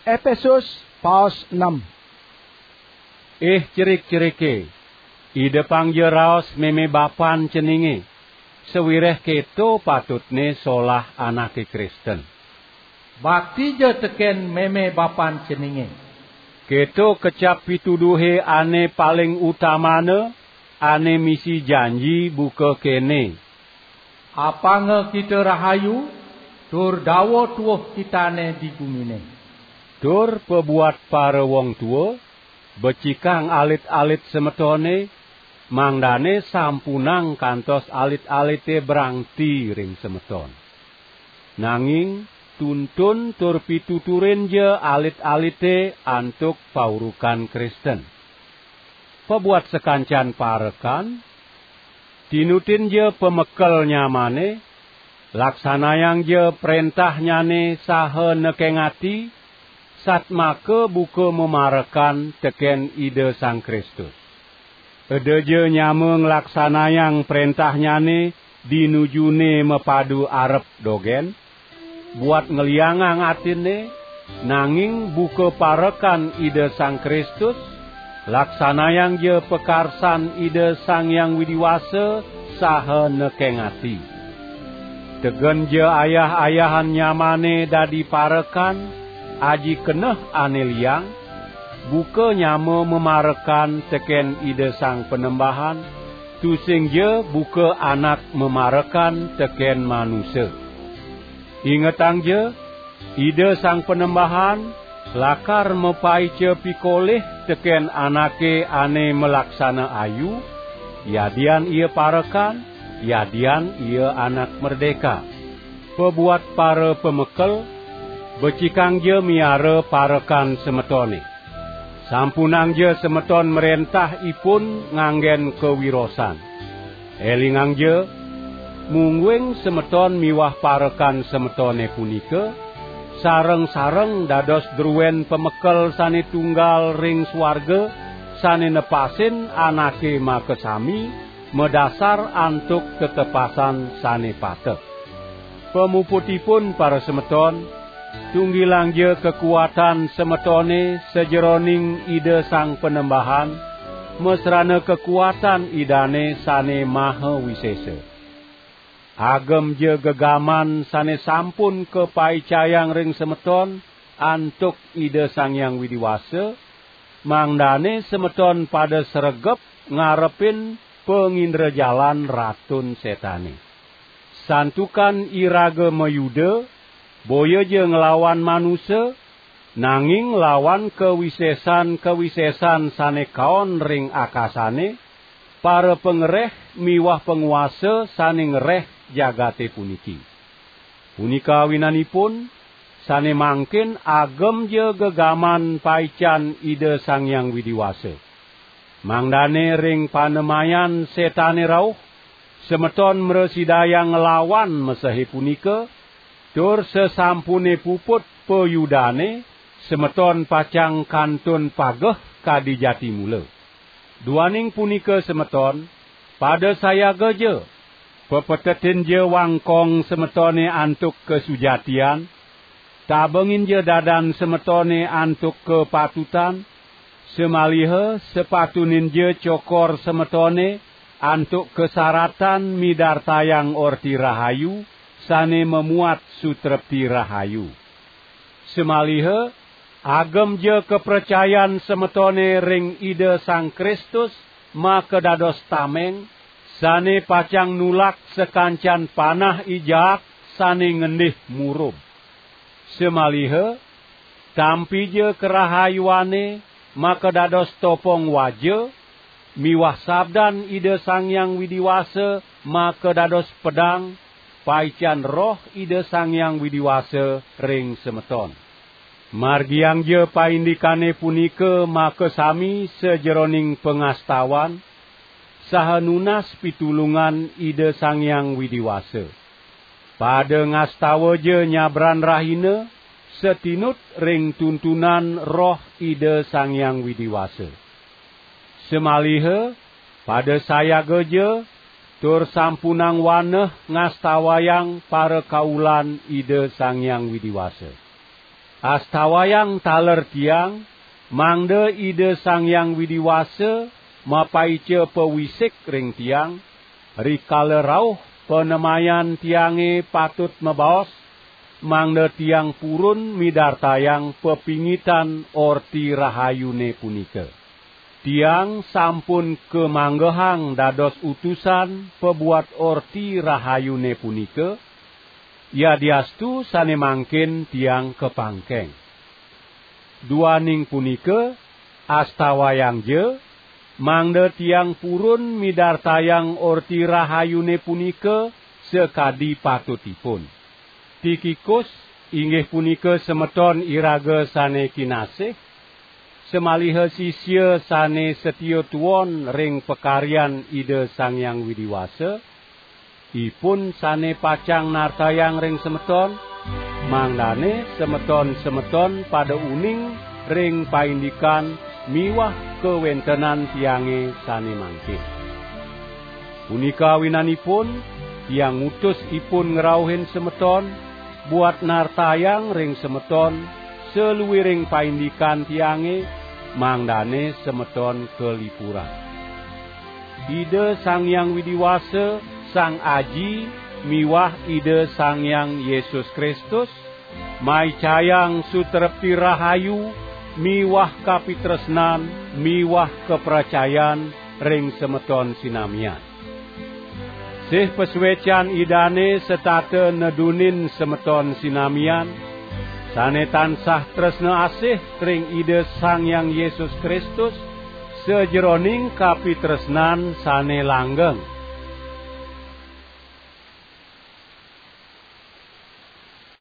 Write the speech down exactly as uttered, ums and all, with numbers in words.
Epesus paos enam. Ih cerik-cerike, idepangja raos meme bapan ceninge, sawireh keto patutne solah anake Kristen. Baktija teken meme bapan ceninge. Keto kecap pituduhe ane paling utamana, ane misi janji buka kene: Apanga kita rahayu, tur dawa tuuh kitane di gumine. Tur pabuat para wong tua, becikang alit-alit semetone, mangdane sampunang kantos alit-alite brangti ring semeton. Nanging tuntun tur pituturinja alit-alite antuk paurukan Kristen. Pabuat sakancan parekan, tinutinja pamekel nyamane, laksanayangja prentahnyane saha nekeng ati, satmaka buka mamarekan teken Ida Sang Kristus. Edaja nyama nglaksanayang prentahnyane dinujune mapadu arep dogen, buat ngliangang atinne, nanging buka parekan Ida Sang Kristus, laksanayangja pakarsan Ida Sang Hyang Widi Wasa saha nekeng ati. Tegenja ayah-ayahan nyamane dadi parekan, aji keneh ane liang, buka nyama mamarekan teken Ida Sang Panembahan, tusingja buka anak mamarekan teken manusa. Ingetangja, Ida Sang Panembahan lakar mapaica pikolih teken anake ane malaksana ayu, yadian ia parekan, yadian ia anak merdeka. Pabuat para pamekel, becikangja miara parekan semetone. Sampunangja semeton mrentah ipun nganggen kawirosan. Elingangja, mungguing semeton miwah parekan semetone punika, sareng-sareng dados druen pamekel sane tunggal ring suarga, sane nepasin anake makasami, madasar antuk tetepasan sane pateh. Pamuputipun, para semeton, tunggilangja kakuatan semetone sajeroning Ida Sang Panembahan, masrana kakuatan Idane sane maha wisesa. Agemja gegaman sane sampun kapaicayang ring semeton antuk Ida Sang Hyang Widi Wasa, mangdane semeton pada sregep ngarepin pangindrajalan Ratun Setane. Santukan iraga mayuda, boyaja nglawan manusa, nanging lawan kawisesan-kawisesan sane kaon ring akasane, para pangreh miwah panguasa sane ngreh jagate puniki. Punika awinanipun, sane mangkin agemja gegaman paican Ida Sang Hyang Widi Wasa. Mangdane ring panemayan Setane rauh, semeton mrasidayang nglawan mesehe punika, tur sasampune puput payudane, semeton pacang kantun pageh kadi jati mula. Duaning punika semeton, pada sayagaja, pepetetinja wangkong semetone antuk kasujatian, tabenginja dadan semetone antuk kapatutan, samaliha sapatuninja cokor semetone antuk kasaratan midartayang Orti Rahayu sane mamuat sutrepti rahayu. Samaliha, agemja kapracayan semetone ring Ida Sang Kristus makadados tameng, sane pacang nulak sakancan panah i jaat sane ngendih murub. Samaliha, tampija karahayuane makadados topong waja, miwah sabdan Ida Sang Hyang Widi Wasa makadados pedang, paican Roh Ida Sang Hyang Widi Wasa ring semeton. Margiangja paindikane punika makasami sajeroning pangastawan, saha nunas pitulungan Ida Sang Hyang Widi Wasa. Pada ngastawaja nyabran rahina, satinut ring tuntunan Roh Ida Sang Hyang Widi Wasa. Samaliha, pada sayagaja, tur sampunang waneh ngastawayang parakaulan Ida Sang Hyang Widi Wasa. Astawayang taler tiang, mangda Ida Sang Hyang Widi Wasa mapaica pawisik ring tiang, rikala rauh panemayan tiange patut mabaos, mangda tiang purun midartayang pepingitan Orti Rahayune punika. Tiang sampun kamanggehang dados utusan pabuat Orti Rahayune punika, yadiastu sane mangkin tiang kapangkeng. Duaning punika, astawayangja, mangda tiang purun midartayang Orti Rahayune punika sakadi patutipun. Tikikus, inggih punika semeton iraga sane kinasih, samaliha sisia sane satia tuon ring pakaryan Ida Sang Hyang Widi Wasa, ipun sane pacang nartayang ring semeton, mangdane semeton-semeton pada uning ring paindikan miwah kawentenan tiange sane mangkin. Punika awinanipun, tiang ngutus ipun ngrauhin semeton, buat nartayang ring semeton saluiring paindikan tiange, mangdane semeton kalipurang. Ida Sang Hyang Widi Wasa, Sang Aji miwah Ida Sang Hyang Yesus Kristus, maicayang sutrepti rahayu miwah kapitresnan miwah kapracayan ring semeton sinamian. Sih pasuecan Idane setata nedunin semeton sinamian, sane tansah tresna asih ring Ida Sang Hyang Yesus Kristus, sajeroning kapitresnan sane langgeng.